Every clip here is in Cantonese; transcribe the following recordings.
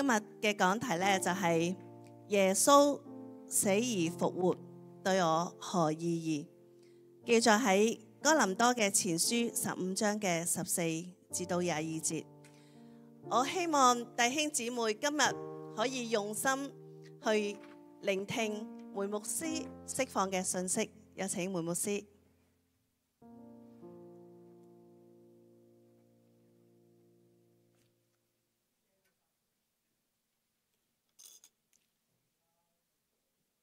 今日嘅講題呢，就係耶穌死而復活對我何意義？記載喺哥林多嘅前書15章嘅14至到22節。我希望弟兄姊妹今日可以用心去聆聽梅牧師釋放嘅信息。有請梅牧師。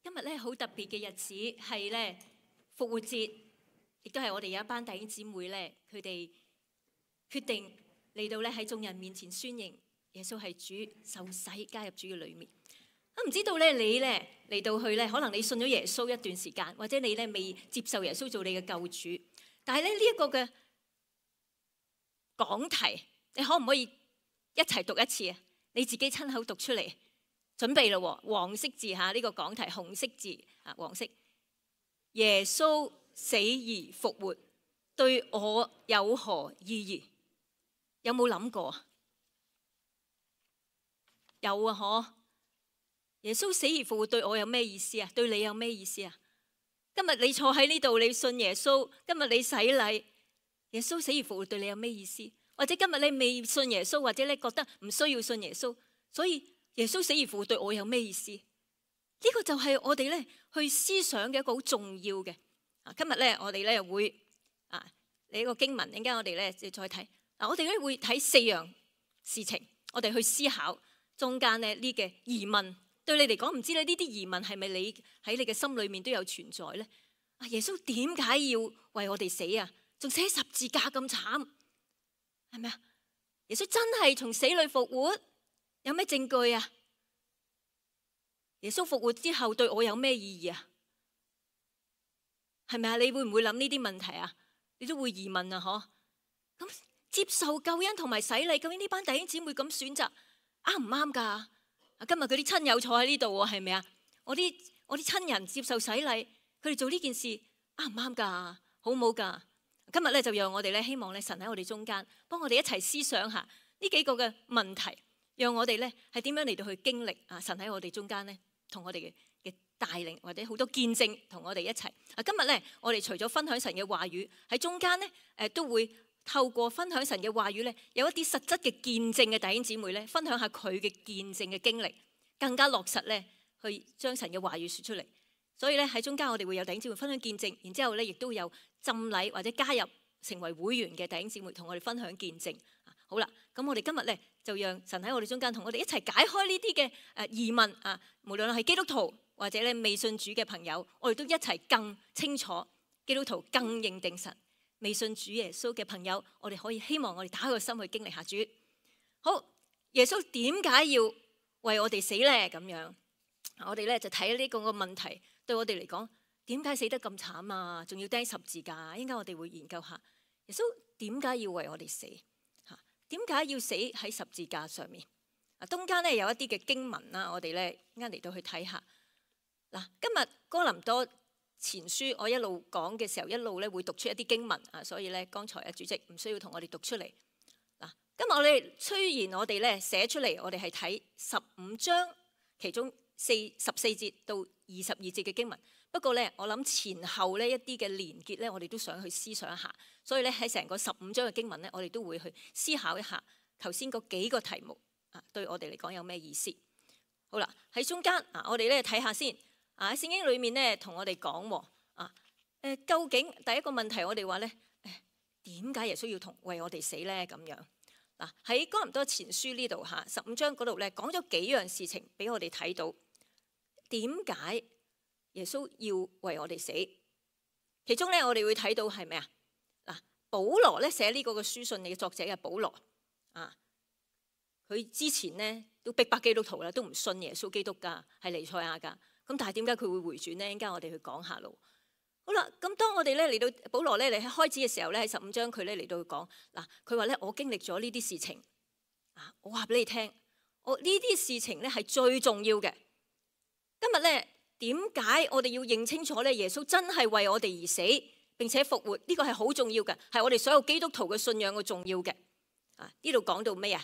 今日咧好特別嘅日子，係咧復活節，亦都係我哋有一班弟兄姊妹咧，佢哋決定嚟到咧喺眾人面前宣認耶穌係主，受洗加入主嘅裏面。唔知道咧你咧嚟到去咧，可能你信咗耶穌一段時間，或者你咧未接受耶穌做你嘅救主，但係咧呢一個嘅講題，你可唔可以一齊讀一次啊？你自己親口讀出嚟。準備咯，黃色字嚇，呢個講題紅色字啊，黃色。耶穌死而復活，對我有何意義？有冇諗過啊？有啊，嗬！耶穌死而復活對我有咩意思啊？對你有咩意思啊？今日你坐喺呢度，你信耶穌，今日你洗禮，耶穌死而復活對你有咩意思？或者今日你未信耶穌，或者你覺得唔需要信耶穌，所以耶穌死而復活對我有咩意思？呢個就係我哋咧去思想嘅一個好重要嘅。今日咧我哋咧會你呢個經文，陣間我哋咧再睇。我哋咧會睇4樣事情，我哋去思考中間咧呢嘅疑問。對你嚟講，唔知咧呢啲疑問係咪你喺你嘅心裏面都有存在咧？耶穌點解要為我哋死啊？仲寫十字架咁慘，係咪啊？耶穌真係從死裏復活？有咩證據啊？耶穌復活之後對我有咩意義啊？係咪啊？你會唔會諗呢啲問題啊？你都會疑問啊？嗬？咁接受救恩同埋洗禮，究竟呢班弟兄姊妹咁選擇啱唔啱噶？今日佢啲親友坐喺呢度喎，係咪啊？我啲親人接受洗禮，佢哋做呢件事啱唔啱噶？好唔好噶？今日咧就讓我哋咧希望咧神喺我哋中間，幫我哋一齊思想下呢幾個嘅問題，讓我哋咧係點樣嚟到去經歷神喺我哋中間咧，同我哋嘅帶領或者好多見證同我哋一齊。今日咧我哋除咗分享神嘅話語，喺中間咧都會透過分享神嘅話語咧，有一啲實質嘅見證嘅弟兄姊妹咧，分享下佢嘅見證嘅經歷，更加落實咧去將神嘅話語說出嚟。所以咧喺中間我哋會有弟兄姊妹分享見證，然之後咧亦都有浸禮或者加入成為會員嘅弟兄姊妹同我哋分享見證。好啦，咁我哋今日咧就讓神喺我哋中間同我哋一齊解開呢啲嘅疑問啊！無論係基督徒或者咧未信主嘅朋友，我哋都一齊更清楚基督徒更認定神。未信主耶穌嘅朋友，我哋可以希望我哋打開個心去經歷下主。好，耶穌點解要為我哋死咧？咁樣，我哋咧就睇呢個問題對我哋嚟講，點解死得咁慘啊？仲要釘十字架？應該我哋會研究下耶穌點解要為我哋死？點解要死喺十字架上面？中間咧有一啲嘅經文啦，我哋咧啱嚟到去睇下。嗱，今日哥林多前書我一路講嘅時候，一路咧會讀出一啲經文啊，所以咧剛才主席唔需要同我哋讀出嚟。嗱，今日我哋雖然我哋咧寫出嚟，我哋係睇15章其中14節到22節嘅經文，不過咧我諗前後呢一啲嘅連結咧，我哋都想去思想一下，所以咧喺成個15章嘅經文咧，我哋都會去思考一下頭先嗰幾個題目啊，對我哋嚟講有咩意思？好啦，喺中間我哋咧睇下先。喺聖經裏面咧，同我哋講究竟第一個問題我哋話咧，點解耶穌要為我哋死咧？咁樣嗱，喺哥林多前書呢度15章嗰度咧，講咗幾樣事情俾我哋睇到，點解耶穌要為我哋死？其中咧，我哋會睇到係咩啊？嗱，保羅咧寫呢個嘅書信嘅作者嘅保羅佢之前咧都逼迫基督徒啦，都唔信耶穌基督噶，係彌賽亞噶。咁但係點解佢會回轉呢？陣間我哋去講下咯。好啦，咁當我哋咧嚟到保羅咧嚟開始嘅時候咧，喺15章佢咧嚟到講嗱，佢話咧我經歷咗呢啲事情我話俾你聽，我呢啲事情咧係最重要嘅。今日咧點解我哋要認清楚咧？耶穌真係為我哋而死，並且復活，呢個係好重要嘅，係我哋所有基督徒嘅信仰嘅重要嘅。呢度講到咩啊？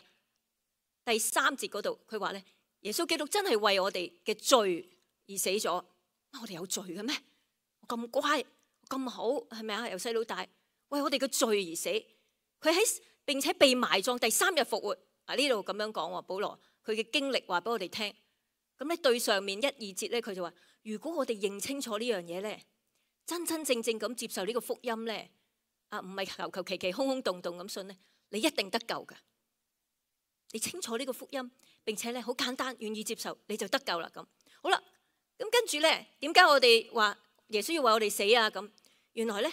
第3節嗰度，佢話咧，耶穌基督真係為我哋嘅罪而死咗。我哋有罪嘅咩？我咁乖咁好，係咪啊？由細到大為我哋嘅罪而死，佢並且被埋葬，第3日復活。啊，呢度咁樣講，保羅佢嘅經歷話俾我哋聽。咁咧對上面1、2節咧，佢就話：如果我哋認清楚呢樣嘢咧，真真正正咁接受呢個福音咧，啊唔係求求其其空空洞洞咁信咧，你一定得救噶。你清楚呢個福音，並且咧好簡單，願意接受，你就得救啦。咁好啦，咁跟住咧，點解我哋話耶穌要為我哋死啊？咁原來咧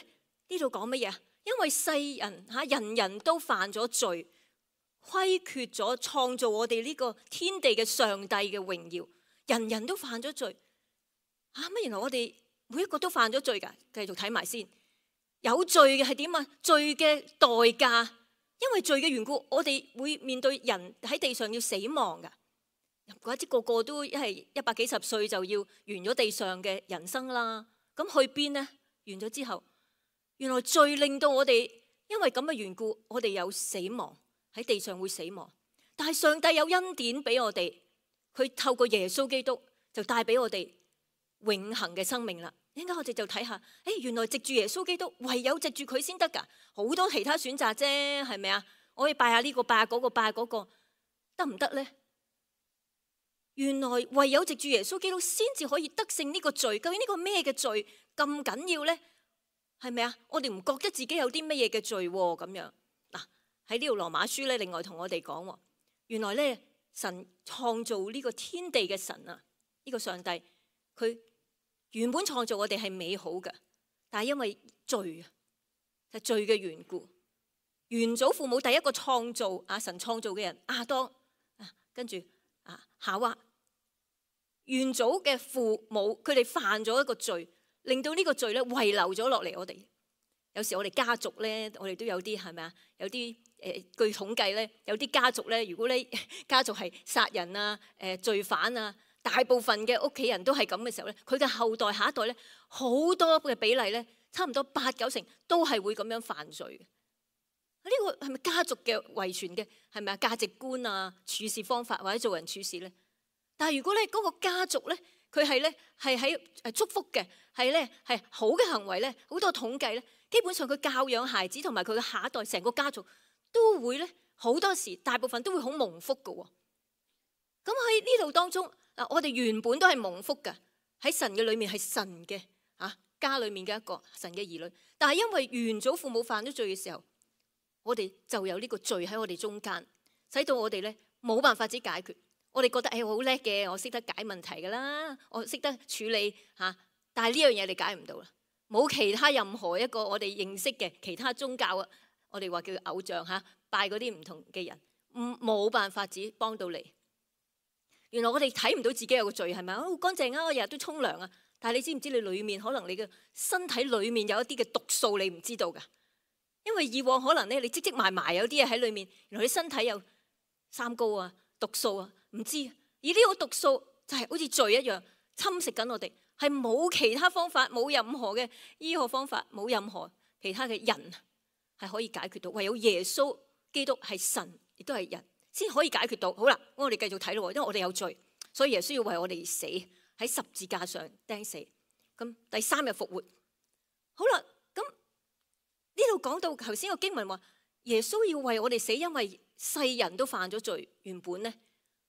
呢度講乜嘢啊？因為世人人人都犯咗罪，虧缺咗創造我哋呢個天地嘅上帝嘅榮耀，人人都犯咗罪。乜原來我哋每一個都犯咗罪噶？繼續睇埋先，有罪嘅係點啊？罪嘅代價，因為罪嘅緣故，我哋會面對人喺地上要死亡噶。或者個個都係100幾十歲就要完咗地上嘅人生啦。咁去邊呢？完咗之後，原來罪令到我哋因為咁嘅緣故，我哋有死亡，喺地上會死亡。但係上帝有恩典俾我哋，佢透過耶穌基督就帶俾我哋永恆嘅生命啦。應該我哋就睇下，原來藉住耶穌基督，唯有藉住佢先得噶。好多其他選擇啫，係咪啊？我可以拜下呢個，拜下嗰個，拜下嗰個，得唔得呢？原來唯有藉住耶穌基督先至可以得勝呢個罪。究竟呢個咩嘅罪咁緊要呢？係咪啊？我哋唔覺得自己有啲乜嘢嘅罪咁樣。嗱，喺呢度羅馬書咧，另外同我哋講，原來咧神創造呢個天地嘅神啊，呢個上帝佢原本創造我哋係美好嘅，但係因為罪啊，就罪嘅緣故，原祖父母第一個創造神創造嘅人亞當跟住夏娃。原祖嘅父母，佢哋犯咗一個罪，令到呢個罪咧遺留咗落嚟。我哋有時我哋家族咧，我哋都有啲係咪啊？有啲據統計咧，有啲家族咧，如果你家族係殺人啊、罪犯啊，大部分嘅屋企人都係咁嘅時候咧，佢嘅後代下一代咧，好多嘅比例咧，差唔多8、9成都係會咁樣犯罪嘅。呢個係咪家族嘅遺傳嘅？係咪啊？價值觀啊、處事方法或者做人處事咧？但係如果咧嗰個家族咧，佢係咧係喺祝福嘅，係咧係好嘅行為咧，好多統計咧，基本上佢教養孩子同埋佢嘅下一代，成個家族都會咧好多時，大部分都會好蒙福㗎喎。咁喺呢度當中我哋原本都係蒙福㗎，喺神嘅裏面係神嘅家裏面嘅一個神嘅兒女。但係因為原祖父母犯咗罪嘅時候，我哋就有呢個罪喺我哋中間，使到我哋咧冇辦法子解決。我哋覺得我好叻嘅，我識得解問題噶啦，我識得處理但係呢樣嘢你解唔到啦。冇其他任何一個我哋認識嘅其他宗教我哋話叫偶像拜嗰啲唔同嘅人，冇辦法子幫到你。原來我哋睇唔到自己有個罪係咪？好乾淨啊，我日日都沖涼啊。但係你知唔知你裏面可能你嘅身體裏面有一啲嘅毒素你唔知道噶？因為以往可能咧你積積埋埋有啲嘢喺裏面，原來你身體有三高啊、毒素啊。唔知，而呢個毒素就係好似罪一樣侵蝕緊我哋，係冇其他方法，冇任何嘅醫學方法，冇任何其他嘅人係可以解決到，唯有耶穌基督係神，亦都係人，先可以解決到。好啦，我哋繼續睇咯，因為我哋有罪，所以耶穌要為我哋死，喺十字架上釘死，咁第3日復活。好啦，咁呢度講到頭先個經文話，耶穌要為我哋死，因為世人都犯咗罪，原本呢。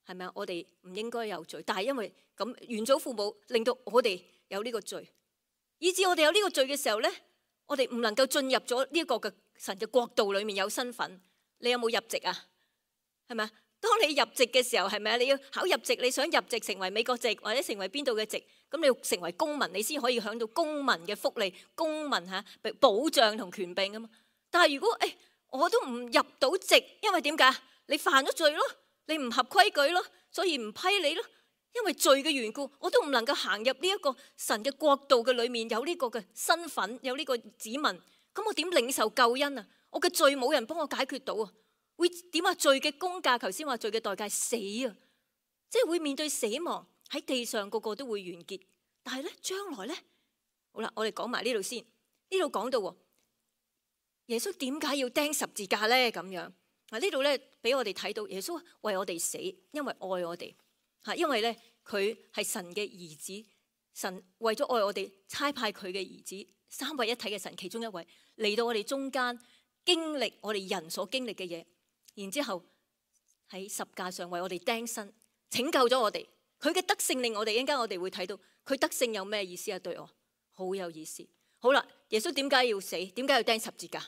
係咪啊？我哋唔應該有罪，但係因為咁原祖父母令到我哋有呢個罪，以至我哋有呢個罪嘅時候咧，我哋唔能夠進入咗呢一個嘅神嘅國度裏面有身份。你有冇入籍啊？係咪啊？當你入籍嘅時候，係咪啊？你要考入籍，你想入籍成為美國籍或者成為邊度嘅籍，咁你要成為公民，你先可以享到公民嘅福利、公民保障同權柄啊嘛。但係如果我都唔入到籍，因為點解？你犯咗罪咯。你唔合規矩咯，所以唔批你咯。因為罪嘅緣故，我都唔能夠行入呢一個神嘅國度嘅裏面，有呢個嘅身份，有呢個子民。咁我點領受救恩啊？我嘅罪冇人幫我解決到啊！會點啊？罪嘅工價，頭先話罪嘅代價死啊，即係會面對死亡，喺地上個個都會完結。但係咧，將來咧，好啦，我哋講埋呢度先。呢度講到耶穌點解要釘十字架咧？咁樣呢度咧俾我哋睇到耶穌為我哋死，因為愛我哋嚇，因為咧佢係神嘅兒子，神為咗愛我哋差派佢嘅兒子，三位一體嘅神其中一位嚟到我哋中間，經歷我哋人所經歷嘅嘢，然之後喺十架上為我哋釘身，拯救咗我哋。佢嘅德性令我哋，一陣間我哋會睇到佢德性有咩意思啊？對我好有意思。好啦，耶穌點解要死？點解要釘十字架？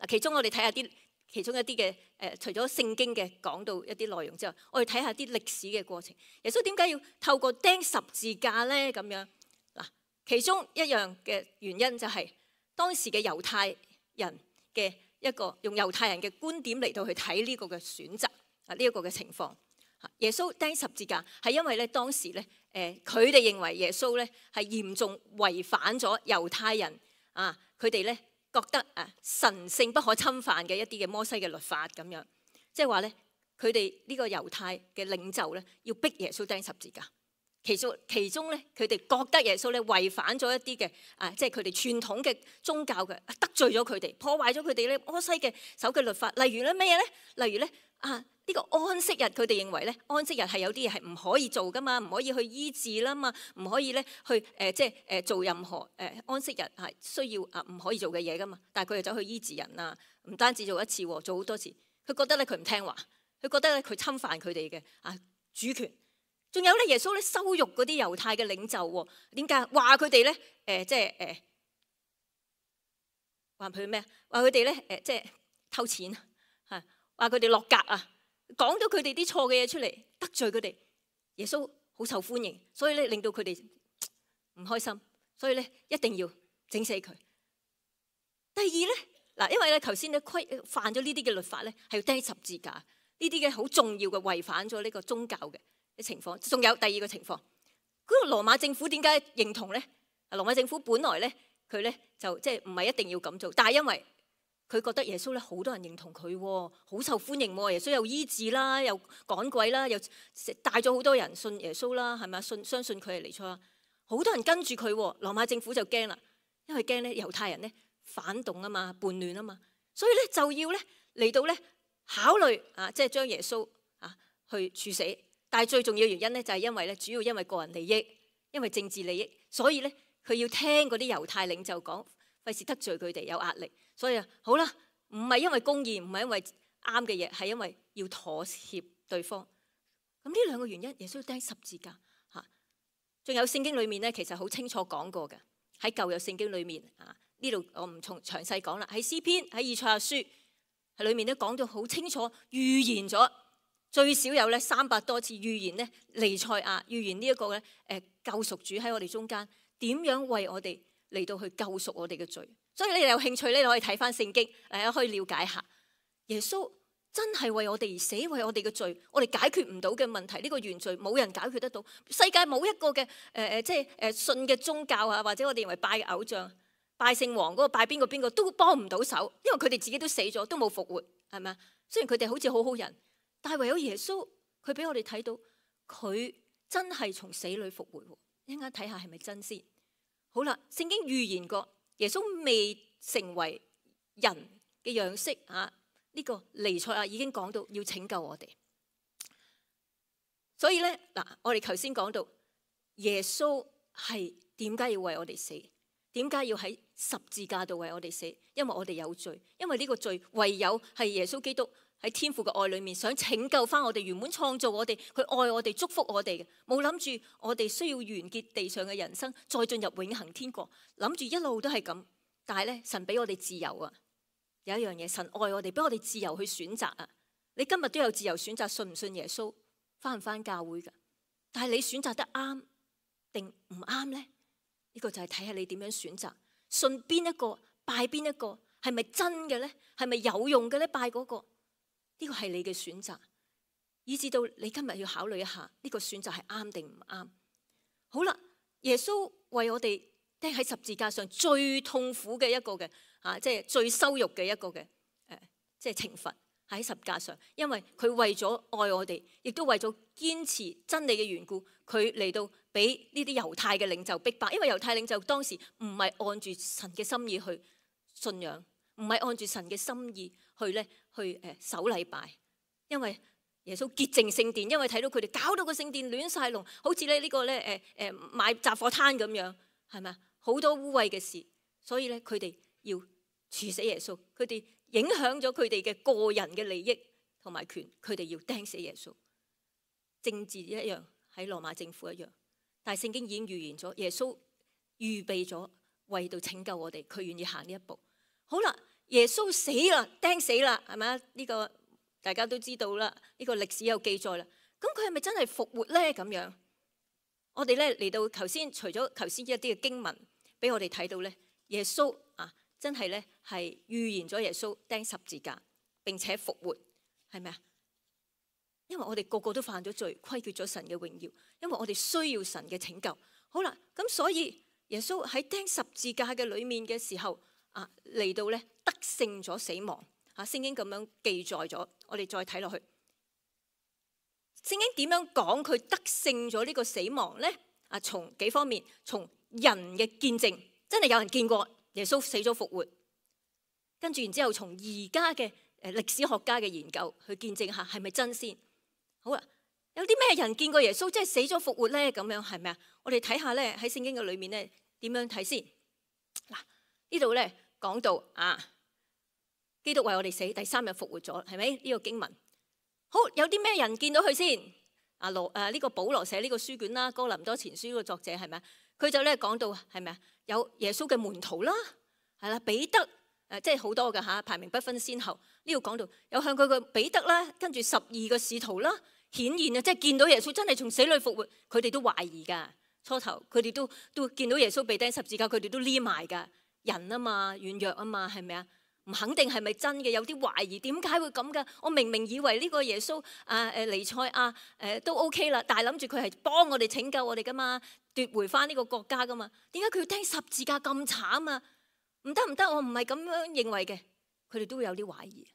嗱，其中我哋睇下其中一啲嘅除咗聖經嘅講到一啲內容之外，我哋睇下啲歷史嘅過程。耶穌點解要透過釘十字架咧？咁樣嗱，其中一樣嘅原因就係當時嘅猶太人嘅一個用猶太人嘅觀點嚟到去睇呢個嘅選擇啊，呢一個嘅情況。耶穌釘十字架係因為咧當時咧佢哋認為耶穌咧係嚴重違反咗猶太人啊，佢哋咧覺得神聖不可侵犯嘅一啲嘅摩西嘅律法咁樣，即係話咧佢哋呢個猶太嘅領袖咧要逼耶穌釘十字架。其中咧佢哋覺得耶穌咧違反咗一啲嘅即係佢哋傳統嘅宗教嘅，得罪咗佢哋，破壞咗佢哋咧摩西嘅守嘅律法。例如咧咩咧？例如咧呢個安息日，佢哋認為咧安息日係有啲嘢係唔可以做噶嘛，唔可以去醫治啦嘛，唔可以咧去做任何安息日係需要唔可以做嘅嘢噶嘛。但係佢哋走去醫治人啊，唔單止做一次，做好多次。佢覺得咧佢唔聽話，佢覺得咧佢侵犯佢哋嘅主權。仲有咧耶穌咧羞辱嗰啲猶太嘅領袖喎，點解？話佢哋咧話佢咩？話佢哋咧即係偷錢嚇，話佢哋落格啊，講咗佢哋啲錯嘅嘢出嚟，得罪佢哋。耶穌好受歡迎，所以咧令到佢哋唔開心，所以咧一定要整死佢。第二咧嗱，因為咧頭先咧犯咗呢啲嘅律法咧，係要釘十字架，呢啲嘅好重要嘅違反咗呢個宗教嘅情況。仲有第二個情況，嗰個羅馬政府點解認同咧？羅馬政府本來咧佢咧就即係唔係一定要咁做，但係因為佢覺得耶穌咧好多人認同佢，好受歡迎喎。耶穌又醫治啦，又趕鬼啦，又帶咗好多人信耶穌啦，係咪啊？相信佢係彌賽亞，好多人跟住佢。羅馬政府就驚啦，因為驚咧猶太人咧反動啊嘛，叛亂啊嘛，所以咧就要咧嚟到咧考慮即係將耶穌去處死。但係最重要嘅原因咧就係因為咧主要因為個人利益，因為政治利益，所以咧佢要聽嗰啲猶太領袖講，費事得罪佢哋有壓力。所以好啦，唔係因為公義，唔係因為啱嘅嘢，係因為要妥協對方。咁呢兩個原因，耶穌釘十字架嚇。仲有聖經裏面咧，其實好清楚講過嘅，喺舊約聖經裏面呢度我唔詳細講啦。喺詩篇、喺以賽亞書喺裏面都講到好清楚，預言咗最少有咧300多次預言咧彌賽亞，預言呢一個咧救贖主喺我哋中間點樣為我哋嚟到去救贖我哋嘅罪。所以你哋有興趣咧，你可以睇翻聖經，可以了解下耶穌真係為我哋而死，為我哋嘅罪，我哋解決唔到嘅問題，呢個原罪冇人解決得到。世界冇一個嘅信嘅宗教或者我哋認為拜嘅偶像、拜聖王嗰個、拜邊個都幫唔到手，因為佢哋自己都死咗，都冇復活，係咪啊？雖然佢哋好似好好人，但係唯有耶穌，佢俾我哋睇到佢真係從死裏復活。一陣間睇下係咪真先。好啦，聖經預言過。耶穌未成為人嘅樣式呢個彌賽亞已經講到要拯救我哋。所以咧嗱，我哋頭先講到耶穌係點解要為我哋死？點解要喺十字架度為我哋死？因為我哋有罪，因為呢個罪唯有係耶穌基督喺天父嘅愛裏面想拯救翻我哋，原本創造我哋，佢愛我哋，祝福我哋嘅，冇諗住我哋需要完結地上嘅人生，再進入永恆天國，諗住一路都係咁。但係咧，神俾我哋自由啊！有一樣嘢，神愛我哋，俾我哋自由去選擇啊！你今日都有自由選擇信唔信耶穌，翻唔翻教會噶？但係你選擇得啱定唔啱咧？呢個就係睇下你點樣選擇，信邊一個，拜邊一個，係咪真嘅咧？係咪有用嘅咧？拜嗰個？呢個係你嘅選擇，以至到你今日要考慮一下，呢個選擇係啱定唔啱？好啦，耶穌為我哋釘喺十字架上最痛苦嘅一個嘅即係最羞辱嘅一個嘅即係懲罰喺十字架上，因為佢為咗愛我哋，亦都為咗堅持真理嘅緣故，佢嚟到俾呢啲猶太嘅領袖逼迫，因為猶太領袖當時唔係按住神嘅心意去信仰。唔係按住神嘅心意去守禮拜，因為耶穌潔淨聖殿，因為睇到佢哋搞到個聖殿亂晒龍，好似呢個咧買雜貨攤咁樣，係咪啊？好多污穢嘅事，所以咧佢哋要處死耶穌，佢哋影響咗佢哋嘅個人嘅利益同埋權，佢哋要釘死耶穌。政治一樣，喺羅馬政府一樣，但係聖經已經預言咗，耶穌預備咗為到拯救我哋，佢願意行呢一步。好啦，耶穌死啦，釘死啦，係咪啊？呢個大家都知道啦，呢個歷史有記載啦。咁佢係咪真係復活咧？咁樣，我哋咧嚟到頭先，除咗頭先一啲嘅經文俾我哋睇到咧，耶穌真係咧係預言咗耶穌釘十字架，並且復活，係咪啊？因為我哋個個都犯咗罪，虧缺咗神嘅榮耀，因為我哋需要神嘅拯救。好啦，咁所以耶穌喺釘十字架嘅裏面嘅時候嚟到咧得勝咗死亡。聖經咁樣記載咗，我哋再睇落去，聖經點樣講佢得勝咗呢個死亡咧？從幾方面，從人嘅見證，真係有人見過耶穌死咗復活，跟住然之後從而家嘅歷史學家嘅研究去見證下係咪真先。好啦，有啲咩人見過耶穌即係死咗復活咧？咁樣係咪啊？我哋睇下咧喺聖經嘅裏面咧點樣睇先。嗱，呢度咧講到基督為我哋死，第三日復活咗，係咪呢個經文？好，有啲咩人見到佢先？呢個保羅寫呢個書卷啦，哥林多前書呢個作者係咪啊？佢就咧講到係咪啊？有耶穌嘅門徒啦，係啦，彼得即係好多㗎嚇，排名不分先後。呢度講到有向佢嘅彼得啦，跟住12個使徒啦，顯現即係見到耶穌真係從死裏復活，佢哋都懷疑㗎。初頭佢哋都見到耶穌被釘十字架，佢哋都匿埋㗎。人啊嘛，軟弱啊嘛，係咪啊？唔肯定係咪真嘅，有啲懷疑，點解會咁㗎？我明明以為呢個耶穌彌賽亞都 OK 啦，但係諗住佢係幫我哋拯救我哋㗎嘛，奪回翻呢個國家㗎嘛，點解佢要釘十字架咁慘啊？唔得唔得，我唔係咁樣認為嘅。佢哋都會有啲懷疑。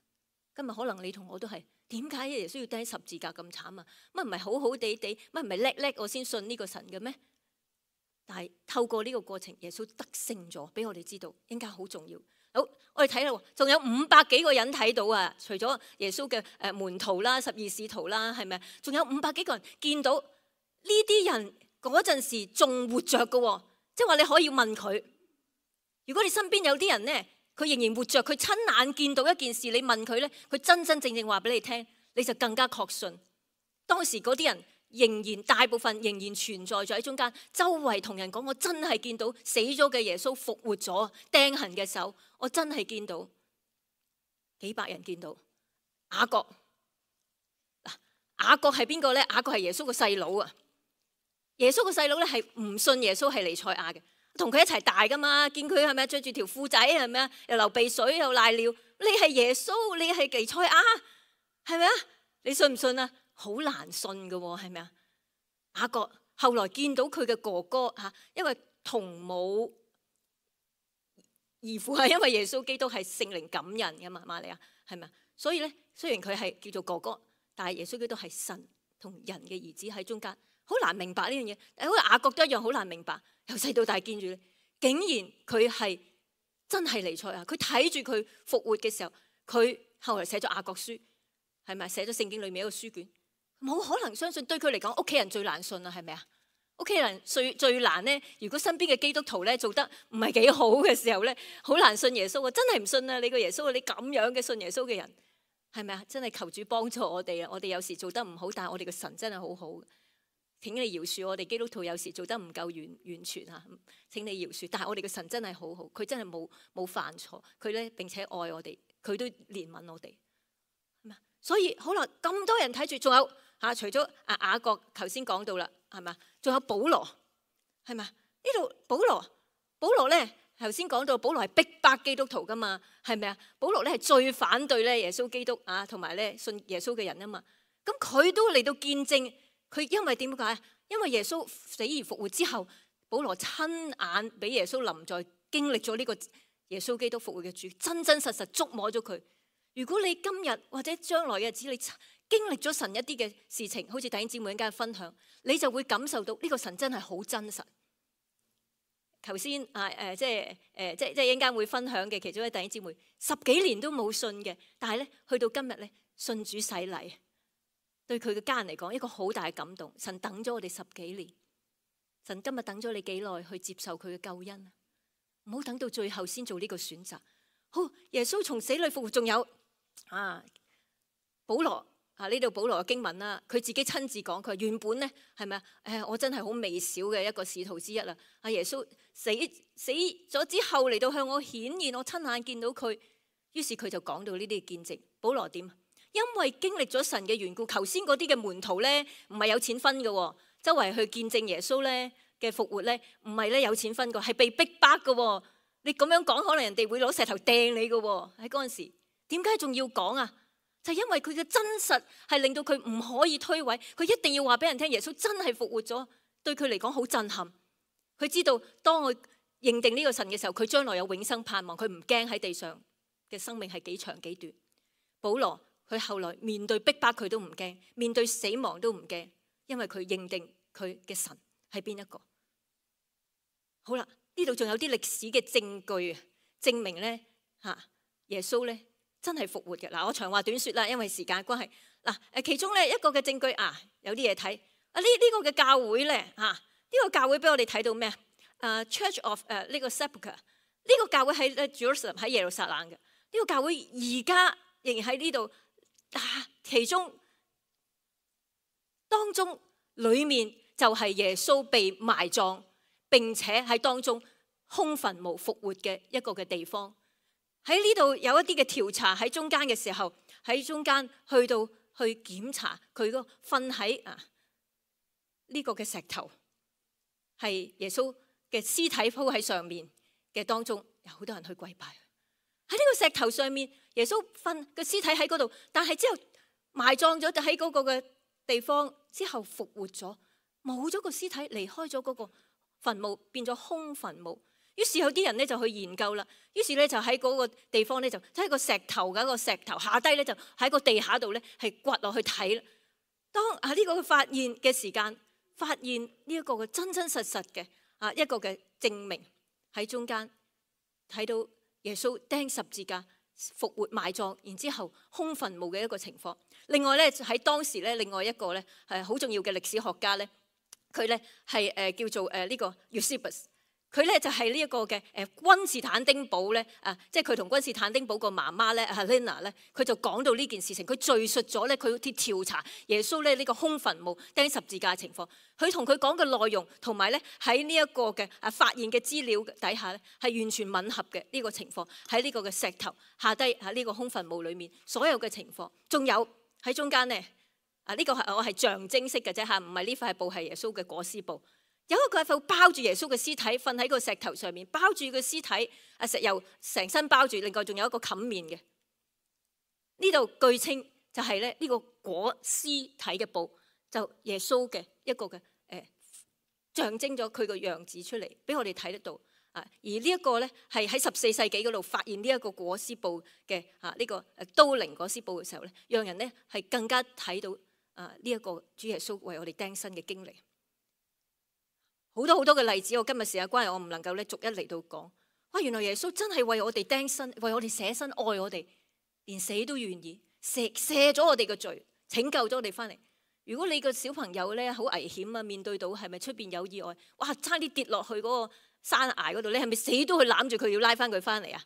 今日可能你同我都係，點解耶穌要釘十字架咁慘啊？乜唔係好好地地，乜唔係叻叻我先信呢個神嘅咩？但係透過呢個過程，耶穌得勝咗，俾我哋知道應該好重要。好，我哋睇啦，仲有500幾個人睇到啊！除咗耶穌嘅門徒啦、12使徒啦，係咪？仲有500幾個人見到呢啲人嗰陣時仲活着嘅，即係話你可以問佢。如果你身邊有啲人呢，佢仍然活着，佢親眼見到一件事，你問佢呢，佢真真正正話俾你聽，你就更加確信。當時嗰啲人仍然大部分仍然存在咗喺中間，周圍同人講：我真係見到死咗嘅耶穌復活咗，釘痕嘅手，我真係見到。幾百人見到。雅各，雅各係邊個呢？雅各係耶穌個細佬啊！耶穌個細佬呢係唔信耶穌係彌賽亞嘅，同佢一齊大噶嘛，見佢係咪着住條褲仔係咪啊？又流鼻水又瀨尿，你係耶穌，你係彌賽亞，係咪啊？你信唔信啊？好難信㗎喎，係咪啊？雅各後來見到佢嘅哥哥因為同母異父，係因為耶穌基督係聖靈感人嘅嘛，瑪利亞係咪啊？所以咧，雖然佢係叫做哥哥，但係耶穌基督係神同人嘅兒子喺中間，好難明白呢樣嘢。好似雅各都一樣好難明白，由細到大見住你，竟然佢係真係彌賽亞，佢睇住佢復活嘅時候，佢後來寫咗雅各書，係咪寫咗聖經裏面一個書卷？冇可能相信，對佢嚟講，屋企人最難信啦，係咪啊？屋企人最難呢，如果身邊嘅基督徒咧做得唔係幾好嘅時候咧，好難信耶穌啊！真係唔信啊！你個耶穌，你咁樣嘅信耶穌嘅人，係咪啊？真係求主幫助我哋啊！我哋有時做得唔好，但係我哋嘅神真係好好。請你饒恕我哋基督徒有時做得唔夠完全嚇，請你饒恕。但係我哋嘅神真係好好，佢真係冇犯錯，佢咧並且愛我哋，佢都憐憫我哋。所以好啦，咁多人睇住，仲有除咗雅各頭先講到啦，係咪？仲有保羅，係咪？呢度保羅咧頭先講到，保羅係逼迫基督徒噶嘛，係咪啊？保羅咧係最反對咧耶穌基督同埋咧信耶穌嘅人啊嘛。咁佢都嚟到見證，佢因為點解？因為耶穌死而復活之後，保羅親眼俾耶穌臨在，經歷咗呢個耶穌基督復活嘅主，真真實實觸摸咗佢。如果你今日或者將來嘅日子，你經歷咗神一啲嘅事情，好似弟兄姊妹一陣間分享，你就會感受到呢個神真係好真實。頭先即係一陣間會分享嘅其中一位弟兄姊妹，10幾年都冇信嘅，但係咧去到今日咧信主洗禮，對佢嘅家人嚟講一個好大嘅感動。神等咗我哋10幾年，神今日等咗你幾耐去接受佢嘅救恩？唔好等到最後先做呢個選擇。好，耶穌從死裏復活，仲有保羅。呢度保羅嘅經文啦，佢自己親自講，佢原本咧係咪啊？我真係好微小嘅一個使徒之一啦。耶穌死咗之後嚟到向我顯現，我親眼見到佢，於是佢就講到呢啲見證。保羅點？因為經歷咗神嘅緣故，頭先嗰啲嘅門徒咧唔係有錢分嘅，周圍去見證耶穌咧嘅復活咧，唔係咧有錢分嘅，係被逼迫嘅。你咁樣講，可能人哋會攞石頭掟你嘅。喺嗰陣時，點解仲要講啊？就係因為佢嘅真實係令到佢唔可以推諉，佢一定要話俾人聽，耶穌真係復活咗，對佢嚟講好震撼。佢知道當我認定呢個神嘅時候，佢將來有永生盼望，佢唔驚喺地上嘅生命係幾長幾短。保羅佢後來面對逼迫佢都唔驚，面對死亡都唔驚，因為佢認定佢嘅神係邊一個。好啦，呢度仲有啲歷史嘅證據證明咧耶穌咧真係復活嘅。嗱，我長話短說啦，因為時間關係。嗱，其中咧一個嘅證據有啲嘢睇。呢個嘅教會咧呢個教會俾我哋睇到咩？Church of 呢個 Sepulchre 呢個教會喺 Jerusalem 喺耶路撒冷嘅。呢個教會而家仍然喺呢度。其中當中裏面就係耶穌被埋葬，並且喺當中空墳墓復活嘅一個嘅地方。喺呢度有一啲嘅調查喺中間嘅時候，喺中間去檢查佢個瞓喺呢個嘅石頭，係耶穌嘅屍體鋪喺上面嘅當中，有好多人去跪拜。喺呢個石頭上面，耶穌瞓個屍體喺嗰度，但係之後埋葬咗，就喺嗰個嘅地方之後復活咗，冇咗個屍體，離開咗嗰個墳墓，變咗空墳墓。於是有啲人咧就去研究啦，於是咧就喺嗰個地方咧就喺個石頭嘅一個石頭下低咧就喺個地下度咧係掘落去睇啦。當呢個發現嘅時間，發現呢一個嘅真真實實嘅一個嘅證明喺中間睇到耶穌釘十字架復活埋葬，然之後空墳墓嘅一個情況。另外咧喺當時咧另外一個咧係好重要嘅歷史學家咧，佢咧係叫做呢個 Eusebius。佢咧就係呢一個嘅君士坦丁堡咧即係佢同君士坦丁堡個媽媽咧Helena咧，佢就講到呢件事情，佢敘述咗咧佢調查耶穌咧呢個空墳墓釘十字架嘅情況。佢同佢講嘅內容同埋咧喺呢一個嘅發現嘅資料底下咧係完全吻合嘅呢個情況。喺呢個嘅石頭下低呢個空墳墓裏面所有嘅情況，仲有喺中間咧呢個係我係象徵式嘅啫唔係呢塊布係耶穌嘅裹屍布。有一個塊布包住耶穌嘅屍體，瞓喺個石頭上面，包住個屍體，石油成身包住，另外仲有一個冚面嘅。呢度據稱就係咧呢個裹屍體嘅布，就耶穌嘅一個嘅象徵咗佢個樣子出嚟，俾我哋睇得到。而呢一個咧係喺14世紀嗰度發現呢一個裹屍布嘅呢個都靈裹屍布嘅時候咧，讓人咧係更加睇到呢一個主耶穌為我哋釘身嘅經歷。好多好多嘅例子，我今日時間關係，我唔能夠咧逐一嚟到講。原來耶穌真係為我哋釘身，為我哋捨身，愛我哋，連死都願意赦咗我哋嘅罪，拯救咗我哋翻嚟。如果你個小朋友咧好危險面對到係咪出邊有意外，差啲跌落去嗰個山崖嗰度，你係咪死都去攬住佢要拉翻佢翻嚟啊？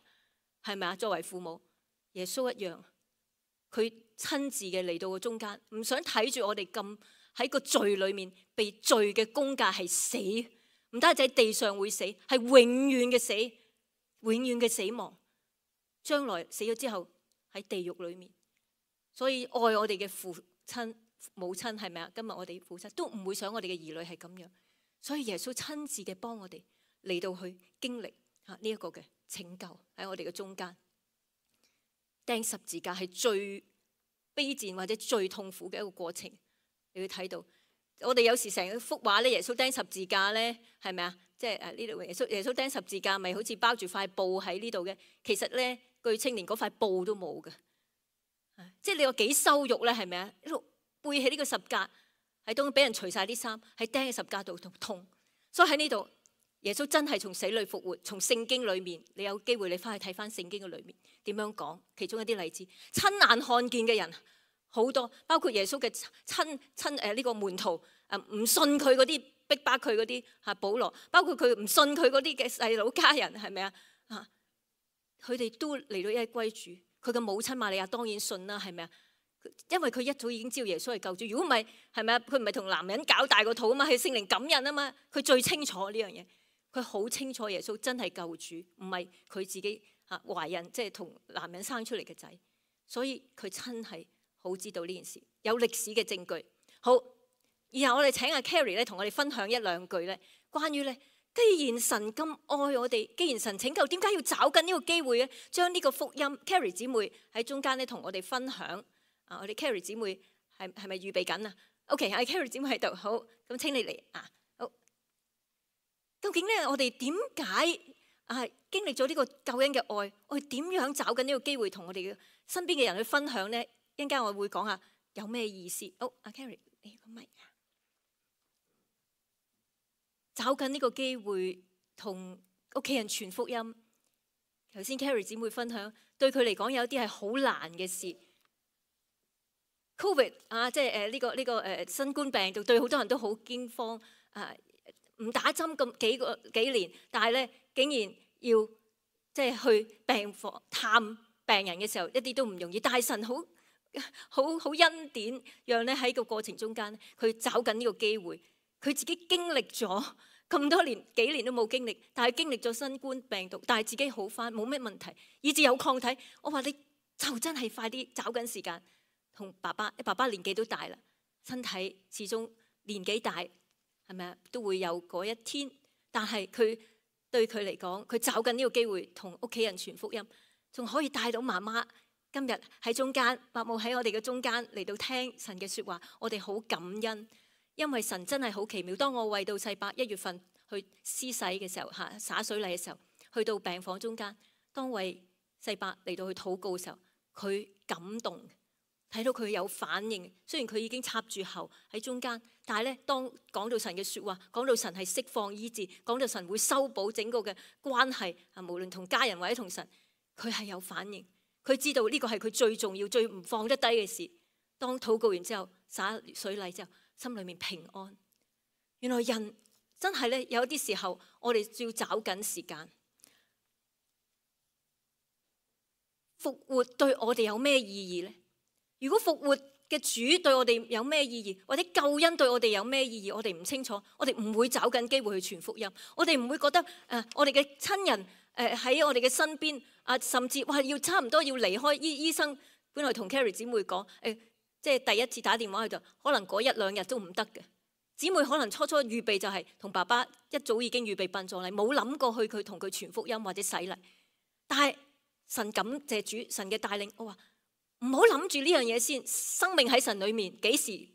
係咪啊？作為父母，耶穌一樣，佢親自嘅嚟到個中間，唔想睇住我哋咁。喺個罪裏面被罪嘅工價係死，唔單止喺地上會死，係永遠嘅死，永遠嘅死亡。將來死咗之後喺地獄裏面，所以愛我哋嘅父親母親係咪啊？今日我哋父親都唔會想我哋嘅兒女係咁樣，所以耶穌親自嘅幫我哋嚟到去經歷呢一個嘅拯救喺我哋嘅中間。釘十字架係最卑賤或者最痛苦嘅一個過程。你會睇到，我哋有時成幅畫咧，耶穌釘十字架咧，係咪啊？即係呢度耶穌釘十字架，咪好似包住塊布喺呢度嘅。其實咧，據稱連嗰塊布都冇嘅，即係你有幾羞辱咧？係咪啊？一路背起呢個十架，喺當俾人除晒啲衫，喺釘喺十架度痛。所以喺呢度，耶穌真係從死裏復活，從聖經裏面，你有機會你翻去睇翻聖經嘅裏面點樣講，其中一啲例子，親眼看見嘅人好多，包括耶穌嘅親呢個門徒唔信佢嗰啲逼迫佢嗰啲保羅，包括佢唔信佢嗰啲嘅細佬家人，係咪啊？佢哋都嚟到一歸主，佢嘅母親瑪利亞當然信啦，係咪啊？因為佢一早已經知道耶穌係救主，如果唔係，係咪啊？佢唔係同男人搞大個肚啊嘛，係聖靈感孕啊嘛，佢最清楚呢樣嘢，佢好清楚耶穌真係救主，唔係佢自己懷孕即係同男人生出嚟嘅仔，所以佢真係好知道呢件事，有歷史嘅證據。好，然後我哋請阿 Carrie 咧同我哋分享一兩句咧，關於咧。既然神咁愛我哋，既然神拯救，點解要找緊呢個機會咧？將呢個福音 ，Carrie 姊妹喺中間咧同我哋分享。我哋 Carrie 姊妹係咪預備緊啊 ？OK， 阿 Carrie 姊妹喺度，好，咁請你嚟啊。好，究竟咧我哋點解經歷咗呢個救恩嘅愛，我哋點樣找緊呢個機會同我哋嘅身邊嘅人去分享咧？一陣間我會講下有咩意思。好，阿 Carrie， 你個咪。找緊呢個機會同屋企人傳福音。頭先 Carrie 姊妹分享，對佢嚟講有啲係好難嘅事。Covid 即係呢個新冠病毒對好多人都好驚慌。唔打針咁幾年，但係咧竟然要即係去病房探病人嘅時候，一啲都唔容易。但係神好恩典，讓咧喺個過程中間，佢找緊呢個機會。佢自己經歷咗咁多年，幾年都冇經歷，但係經歷咗新冠病毒，但係自己好返，冇咩問題，以至有抗體。我話你就真係快啲找緊時間同爸爸年紀都大啦，身體始終年紀大，係咪啊？都會有嗰一天。但係佢對佢嚟講，佢找緊呢個機會同屋企人傳福音，仲可以帶到媽媽今日喺中間，伯母喺我哋嘅中間嚟到聽神嘅說話，我哋好感恩。因為神真係好奇妙，當我為到世伯1月份去施洗嘅時候，灑水禮嘅時候，去到病房中間，當為世伯嚟到去禱告嘅時候，佢感動，睇到佢有反應。雖然佢已經插住喉喺中間，但係咧，當講到神嘅說話，講到神係釋放醫治，講到神會修補整個嘅關係，無論同家人或者同神，佢係有反應。佢知道呢個係佢最重要、最唔放得低嘅事。當禱告完之後，灑水禮之後，心裏面平安。原來人真係咧，有啲時候我哋要找緊時間。復活對我哋有咩意義呢？如果復活嘅主對我哋有咩意義，或者救恩對我哋有咩意義，我哋唔清楚，我哋唔會找緊機會去傳福音。我哋唔會覺得我哋嘅親人喺我哋嘅身邊甚至要差唔多要離開。醫生本來同 Carrie 姊妹講即係第一次打電話去就可能嗰1、2日都唔得嘅。姊妹可能初初預備就係同爸爸一早已經預備殯葬禮，冇諗過去佢同佢傳福音或者洗禮。但係神感謝主，神嘅帶領，我話唔好諗住呢樣嘢先。生命喺神裏面，幾時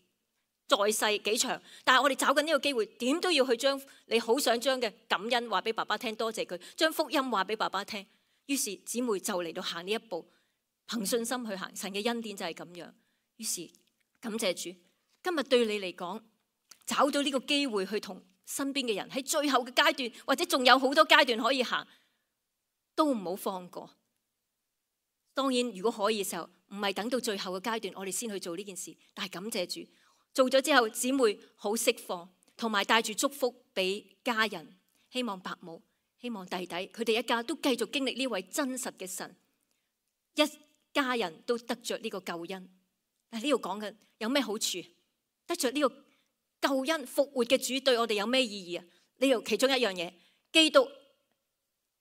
在世幾長，但係我哋找緊呢個機會，點都要去將你好想將嘅感恩話俾爸爸聽，多謝佢，將福音話俾爸爸聽。於是姊妹就嚟到行呢一步，憑信心去行。神嘅恩典就係咁樣。於是感謝主，今日對你嚟講，找到呢個機會去同身邊嘅人喺最後嘅階段，或者仲有好多階段可以行，都唔好放過。當然，如果可以嘅時候，唔係等到最後嘅階段，我哋先去做呢件事。但係感謝主，做咗之後，姊妹好釋放，同埋帶住祝福俾家人，希望伯母、希望弟弟，佢哋一家都繼續經歷呢位真實嘅神，一家人都得着呢個救恩。呢度講緊有咩好處？得着呢個救恩復活嘅主對我哋有咩意義啊？呢度其中一樣嘢，基督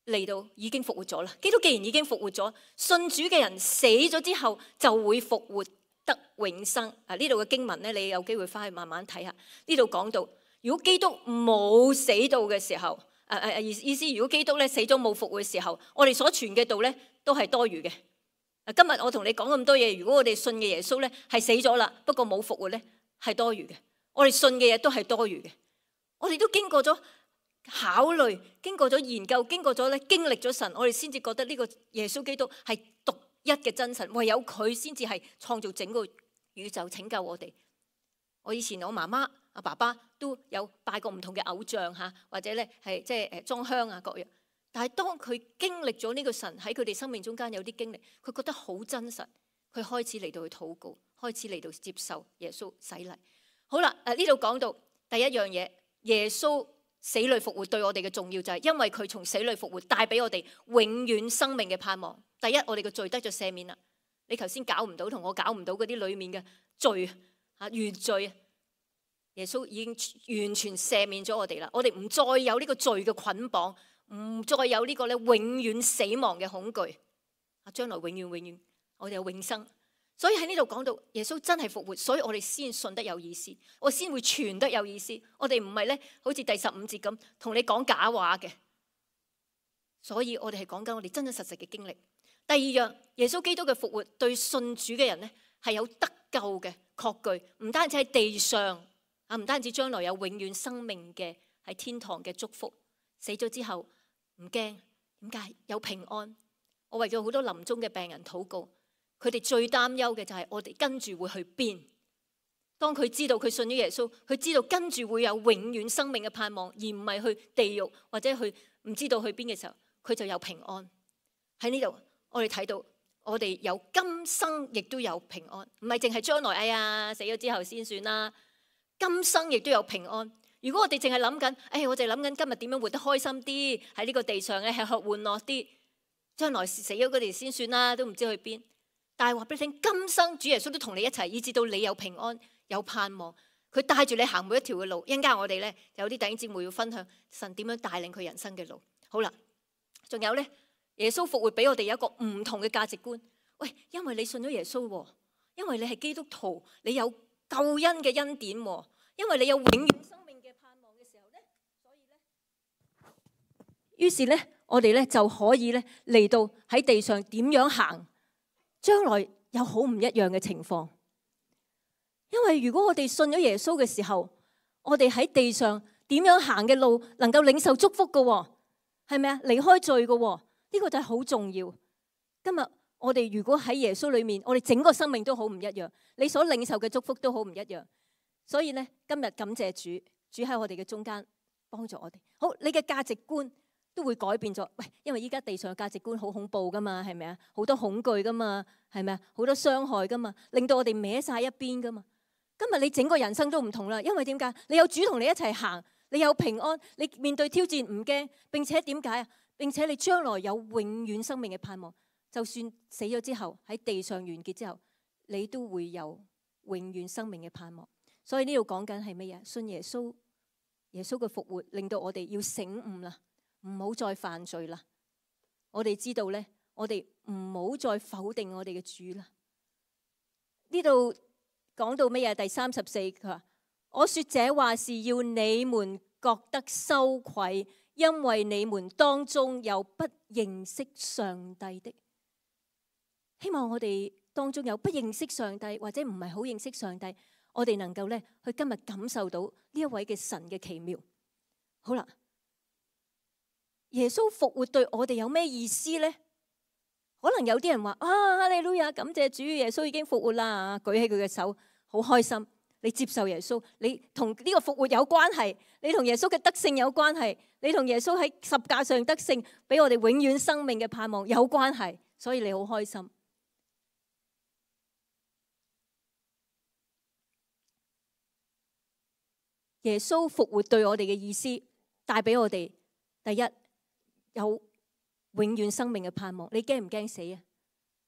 嚟到已經復活咗啦。基督既然已經復活咗，信主嘅人死咗之後就會復活得永生。呢度嘅經文咧，你有機會翻去慢慢睇下。呢度講到，如果基督冇死到嘅時候，意思如果基督咧死咗冇復活嘅時候，我哋所傳嘅道咧都係多餘嘅。今日我同你講咁多嘢，如果我哋信嘅耶穌咧係死咗啦，不過冇復活咧係多餘嘅。我哋信嘅嘢都係多餘嘅。我哋都經過咗考慮，經過咗研究，經過咗咧經歷咗神，我哋先至覺得呢個耶穌基督係獨一嘅真神，唯有佢先至係創造整個宇宙拯救我哋。我以前我媽媽阿爸爸都有拜過唔同嘅偶像嚇，或者咧係即係裝香啊各樣。但係當佢經歷咗呢個神喺佢哋生命中間有啲經歷，佢覺得好真實，佢開始嚟到去禱告，開始嚟到接受耶穌洗禮。好啦，呢度講到第一樣嘢，耶穌死裏復活對我哋嘅重要就係因為佢從死裏復活帶俾我哋永遠生命嘅盼望。第一，我哋嘅罪得咗赦免啦。你頭先搞唔到同我搞唔到嗰啲裡面嘅罪啊，原罪，耶穌已經完全赦免咗我哋啦。我哋唔再有呢個罪嘅捆綁，唔再有呢個咧永遠死亡嘅恐懼啊！將來永遠我哋有永生。所以喺呢度講到耶穌真係復活，所以我哋先信得有意思，我先會傳得有意思。我哋唔係咧好似第15節咁同你講假話嘅，所以我哋係講緊我哋真真實實嘅經歷。第二樣，耶穌基督嘅復活對信主嘅人咧係有得救嘅確據，唔單止喺地上啊，唔單止將來有永遠生命嘅喺天堂嘅祝福，死咗之後唔驚，點解？有平安。我為咗好多臨終嘅病人禱告，佢哋最擔憂嘅就係我哋跟住會去邊。當佢知道佢信咗耶穌，佢知道跟住會有永遠生命嘅盼望，而唔係去地獄或者去唔知道去邊嘅時候，佢就有平安。喺呢度我哋睇到我哋有今生亦都有平安，唔係淨係將來，哎呀死咗之後先算啦。今生亦都有平安。如果我哋淨係諗緊，我哋諗緊今日點樣活得開心啲，喺呢個地上咧吃喝玩樂啲，將來死咗嗰啲先算啦，都唔知去邊。但係話俾你聽，今生主耶穌都同你一齊，以至到你有平安有盼望，佢帶住你行每一條嘅路。一陣間我哋咧有啲弟兄姊妹要分享神點樣帶領佢人生嘅路。好啦，仲有咧，耶穌復活俾我哋有一個唔同嘅價值觀。喂，因為你信咗耶穌，因為你係基督徒，你有救恩嘅恩典，因為你有永遠生命嘅盼望嘅時候咧，所以咧，於是咧我哋咧就可以咧嚟到喺地上點樣行，將來有好唔一樣嘅情況。因為如果我哋信咗耶穌嘅時候，我哋喺地上點樣行嘅路能夠領受祝福嘅，係咪啊？離開罪嘅，呢個就係好重要。今日我哋如果喺耶穌裏面，我哋整個生命都好唔一樣，你所領受嘅祝福都好唔一樣。所以咧，今日感謝主，主喺我哋嘅中間幫助我哋。好，你嘅價值觀都會改變咗。喂，因為依家地上嘅價值觀好恐怖噶嘛，係咪啊？好多恐懼噶嘛，係咪啊？好多傷害噶嘛，令到我哋歪晒一邊噶嘛。今日你整個人生都唔同啦，因為點解？你有主同你一齊行，你有平安，你面對挑戰唔驚，並且點解啊？並且你將來有永遠生命嘅盼望。就算死咗之後喺地上完結之後，你都會有永遠生命嘅盼望。所以呢度講緊係乜嘢？信耶穌，耶穌嘅復活令到我哋要醒悟啦，唔好再犯罪啦。我哋知道咧，我哋唔好再否定我哋嘅主啦。呢度講到乜嘢？第34，佢話：我說這話是要你們覺得羞愧，因為你們當中有不認識上帝的。希望我哋當中有不認識上帝或者唔係好認識上帝，我哋能夠咧去今日感受到呢一位嘅神嘅奇妙。好啦，耶穌復活對我哋有咩意思呢？可能有啲人話：哈利路亞，感謝主，耶穌已經復活啦！舉起佢嘅手，好開心。你接受耶穌，你同呢個復活有關係，你同耶穌嘅得勝有關係，你同耶穌喺十架上得勝，俾我哋永遠生命嘅盼望有關係，所以你好開心。耶穌復活對我哋嘅意思，帶俾我哋第一有永遠生命嘅盼望。你驚唔驚死啊？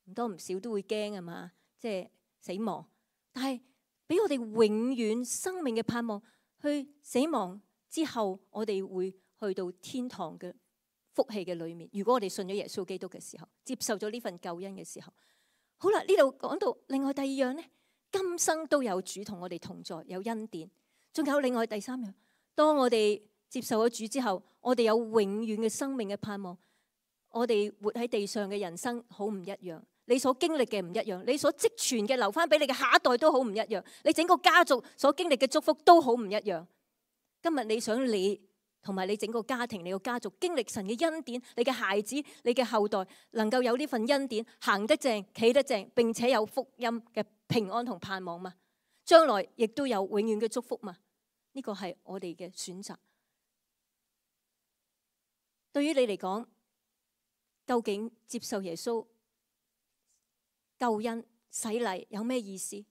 唔多唔少都會驚啊嘛，即係死亡。但係俾我哋永遠生命嘅盼望，去死亡之後，我哋會去到天堂嘅福氣嘅裏面。如果我哋信咗耶穌基督嘅時候，接受咗呢份救恩嘅時候，好啦，呢度講到另外第二樣呢，今生都有主同我哋同在，有恩典。仲有另外第三樣，當我哋接受咗主之後，我哋有永遠嘅生命嘅盼望。我哋活喺地上嘅人生好唔一樣，你所經歷嘅唔一樣，你所積存嘅留翻俾你嘅下一代都好唔一樣，你整個家族所經歷嘅祝福都好唔一樣。今日你想你同埋你整個家庭、你個家族經歷神嘅恩典，你嘅孩子、你嘅後代能夠有呢份恩典，行得正、企得正，並且有福音嘅平安同盼望嘛？將來亦都有永遠嘅祝福嘛？呢個係我哋嘅選擇。對於你嚟講，究竟接受耶穌救恩洗禮有咩意思？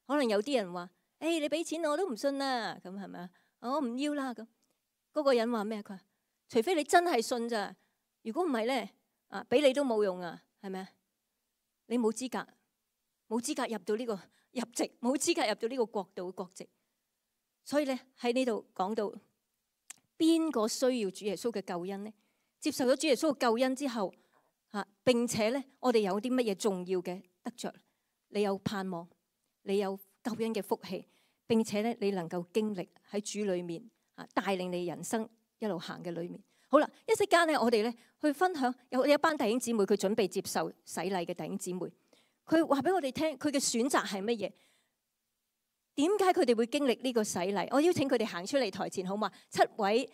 可能有啲人話：你俾錢我都唔信啦，咁係咪啊？我唔要啦咁。嗰個人話咩？佢話除非你真係信咋，如果唔係咧，俾你都冇用啊，係咪啊？你冇資格入到呢個入籍，冇資格入到呢個國度嘅國籍。所以咧喺呢度講到邊個需要主耶穌嘅救恩呢？接受咗主耶穌嘅救恩之後，並且咧我哋有啲乜嘢重要嘅得着？你有盼望，你有救恩嘅福氣，並且咧你能夠經歷喺主裏面帶領你人生一路行嘅裏面。好啦，一息間咧我哋咧去分享，有一班弟兄姊妹佢準備接受洗禮嘅弟兄姊妹，佢話俾我哋聽佢嘅選擇係乜嘢？點解佢哋會經歷呢個洗禮？我邀請佢哋行出嚟台前好嘛？7位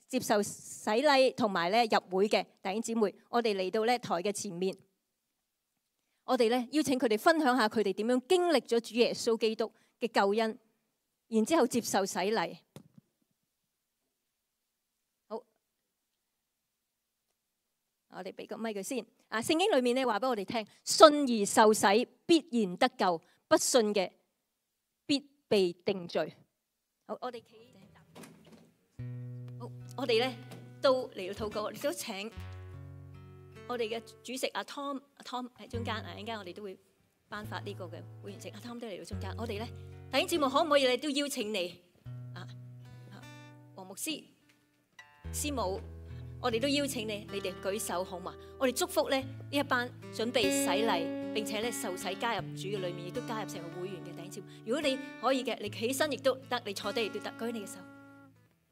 接受洗禮同埋咧入會嘅弟兄姊妹，我哋嚟到咧台嘅前面，我哋咧邀請佢哋分享下佢哋點樣經歷咗主耶穌基督嘅救恩，然之後接受洗禮。好，我哋俾個咪佢先。聖經裏面咧話俾我哋聽，信而受洗必然得救，不信嘅必被定罪。好，我哋企。好，我哋咧都嚟到禱告，亦都請我哋嘅主席阿 Tom 喺中間。陣間我哋都會頒發呢個嘅會員證。阿 Tom 都嚟到中間。我哋咧弟兄姊妹可唔可以咧都邀請你黃牧師、師母，我哋都邀請你哋舉手好嘛？我哋祝福咧呢一班準備洗禮並且咧受洗加入主嘅裏面，亦都加入成為會員嘅弟兄姊妹。如果你可以嘅，你起身亦都得，你坐低亦都得，舉你嘅手。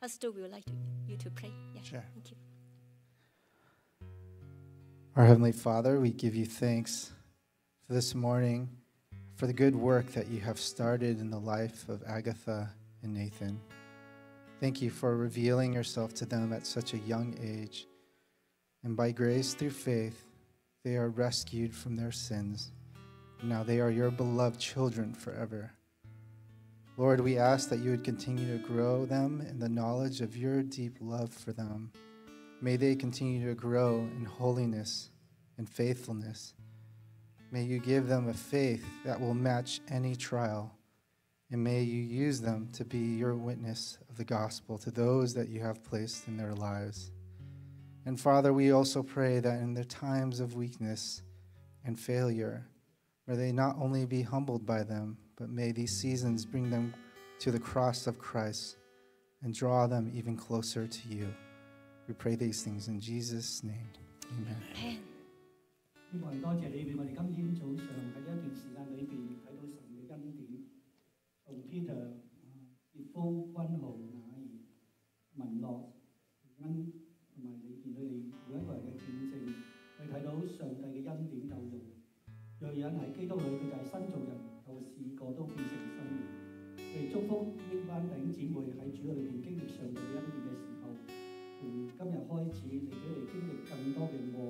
Pastor would like you to pray. Yeah. Sure. Thank you. Our Heavenly Father, we give you thanks for this morning, for the good work that you have started in the life of Agatha and Nathan. Thank you for revealing yourself to them at such a young age. And by grace through faith, they are rescued from their sins. Now they are your beloved children forever. Lord, we ask that you would continue to grow them in the knowledge of your deep love for them. May they continue to grow in holiness and faithfulness. May you give them a faith that will match any trial. And may you use them to be your witness of the gospel to those that you have placed in their lives. And Father, we also pray that in their times of weakness and failure, may they not only be humbled by them, but may these seasons bring them to the cross of Christ and draw them even closer to you. We pray these things in Jesus' name. Amen. 希望多謝你俾我哋今天早上喺一段時間裏邊睇到神嘅恩典，從 Peter、傑夫、君豪、雅兒、文樂、恩同埋你見到你每一個人嘅見證，去睇到上帝嘅恩典夠用。若有人喺基督裏，佢就係新造人，舊事過都變成新人。我哋祝福呢班弟兄姊妹喺主裏邊經歷上帝嘅恩典嘅時候，從今日開始，你俾佢哋經歷更多嘅愛、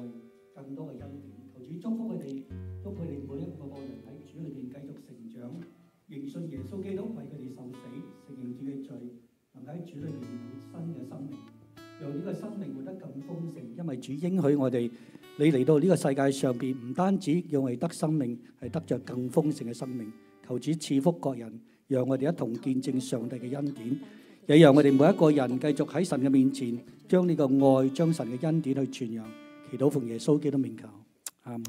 更多嘅恩典。求主祝福佢哋，祝福佢哋每一個人喺主裏邊繼續成長，認信耶穌基督為佢哋受死，承認主嘅罪，能喺主裏邊有新嘅生命，讓呢個生命活得更豐盛。因為主應許我哋。你嚟到呢個世界上邊，唔單止讓我哋得生命，係得着更豐盛嘅生命。求主賜福各人，讓我哋一同見證上帝嘅恩典，也讓我哋每一個人繼續喺神嘅面前，將呢個愛、將神嘅恩典去傳揚。祈禱奉耶穌基督名求，阿門。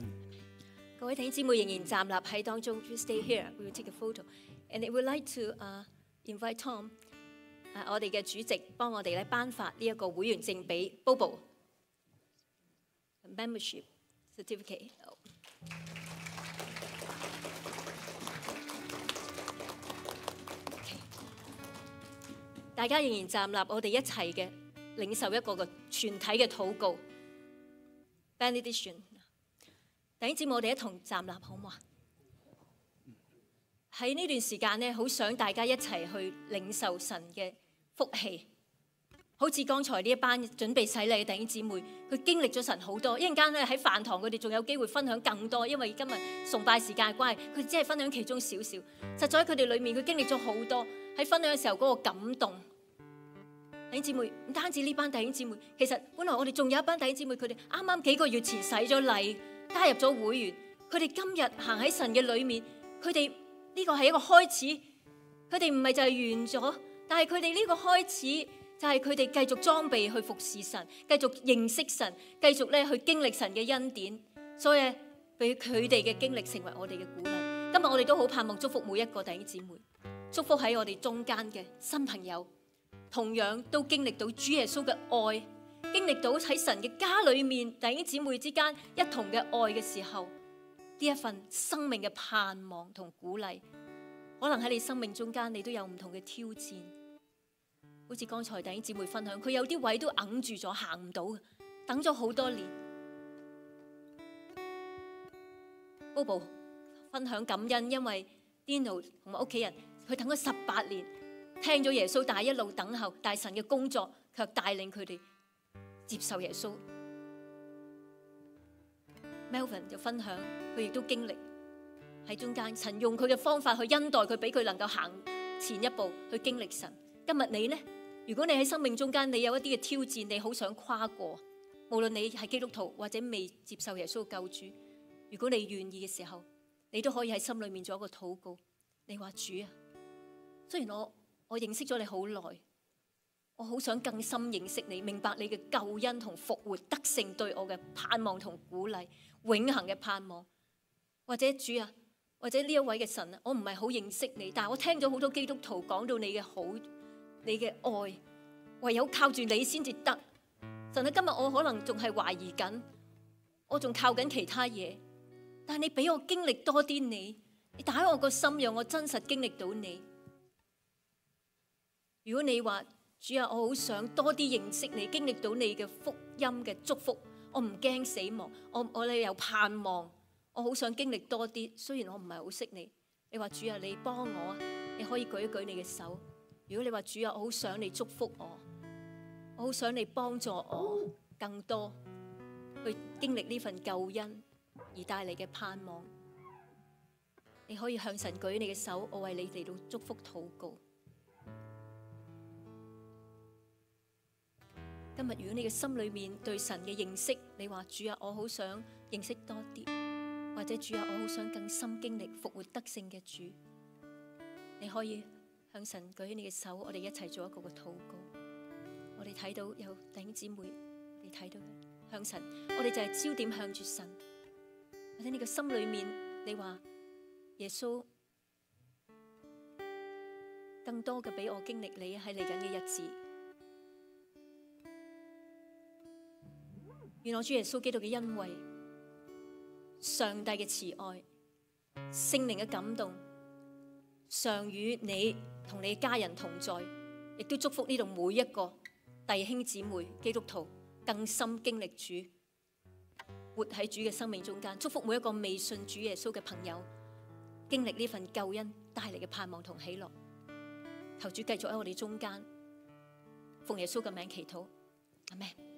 各位弟兄姊妹仍然站立喺當中 ，You stay here. We will take a photo, and we would like to invite Tom， 我哋嘅主席幫我哋咧頒發呢一個會員證俾 Bobo。Membership certificate. Okay. 大家仍然站立，我哋一齊嘅領受一個嘅全體嘅禱告 benediction。弟兄姊妹，我哋一同站立好嗎？喺呢段時間呢，好想大家一齊去領受神嘅福氣。好似剛才呢一班準備洗禮嘅弟兄姊妹，佢經歷咗神好多。一陣間咧喺飯堂，佢哋仲有機會分享更多，因為今日崇拜時間嘅關係，佢只係分享其中少少。實在喺佢哋裏面，佢經歷咗好多喺分享嘅時候嗰個感動。弟兄姊妹，唔單止呢班弟兄姊妹，其實本來我哋仲有一班弟兄姊妹，佢哋啱啱幾個月前洗咗禮，加入咗會員，佢哋今日行喺神嘅裏面，佢哋呢個係一個開始，佢哋唔係就係完咗，但係佢哋呢個開始就係佢哋繼續裝備去服侍神，繼續認識神，繼續咧去經歷神嘅恩典，所以俾佢哋嘅經歷成為我哋嘅鼓勵。今日我哋都好盼望祝福每一個弟兄姊妹，祝福喺我哋中間嘅新朋友，同樣都經歷到主耶穌嘅愛，經歷到喺神嘅家裏面弟兄姊妹之間一同嘅愛嘅時候，呢一份生命嘅盼望同鼓勵，可能喺你生命中間你都有唔同嘅挑戰，好似剛才弟兄姊妹分享，佢有啲位都揞住咗，行唔到，等咗好多年。Bobo 分享感恩，因為 Dino 同埋屋企人，佢等咗18年，聽咗耶穌，但係一路等候，但係神嘅工作卻帶領佢哋接受耶穌。Melvin 就分享，佢亦都經歷喺中間，神用佢嘅方法去恩待佢，俾佢能夠行前一步去經歷神。今日你呢？如果你喺生命中間，你有一啲嘅挑戰，你好想跨過，無論你係基督徒或者未接受耶穌救主，如果你願意嘅時候，你都可以喺心裏面做一個禱告。你話主啊，雖然我認識咗你好耐，我好想更深認識你，明白你嘅救恩同復活得勝對我嘅盼望同鼓勵，永恆嘅盼望。或者主啊，或者呢一位嘅神啊，我唔係好認識你，但係我聽咗好多基督徒講到你嘅好，你嘅愛，唯有靠住你先至得。神啊，今日我可能仲係懷疑緊，我仲靠緊其他嘢，但係你俾我經歷多啲你打開我個心，讓我真實經歷到你。如果你話主啊，我好想多啲認識你，經歷到你嘅福音嘅祝福，我唔驚死亡，我哋有盼望，我好想經歷多啲。雖然我唔係好識你，你話主啊，你幫我啊，你可以舉一舉你嘅手。如果你話主啊，我好想你祝福我好想你幫助我更多去經歷呢份救恩而帶嚟嘅盼望，你可以向神舉你嘅手，我為你嚟到祝福禱告。今日如果你嘅心裏面對神嘅認識，你話主啊，我好想認識多啲，或者主啊，我好想更深經歷復活得勝嘅主，你可以向神舉起你嘅手，我哋一齊做一個嘅禱告。我哋睇到有弟兄姊妹，你睇到向神，我哋就係焦點向住神。或者你嘅心裏面，你話耶穌更多嘅俾我經歷你喺嚟緊嘅日子。願我主耶穌基督嘅恩惠、上帝嘅慈愛、聖靈嘅感動，常與你同你嘅家人同在，亦都祝福呢度每一個弟兄姊妹基督徒更深經歷主，活喺主嘅生命中間。祝福每一個未信主耶穌嘅朋友，經歷呢份救恩帶嚟嘅盼望同喜樂。求主繼續喺我哋中間，奉耶穌嘅名祈禱，阿們。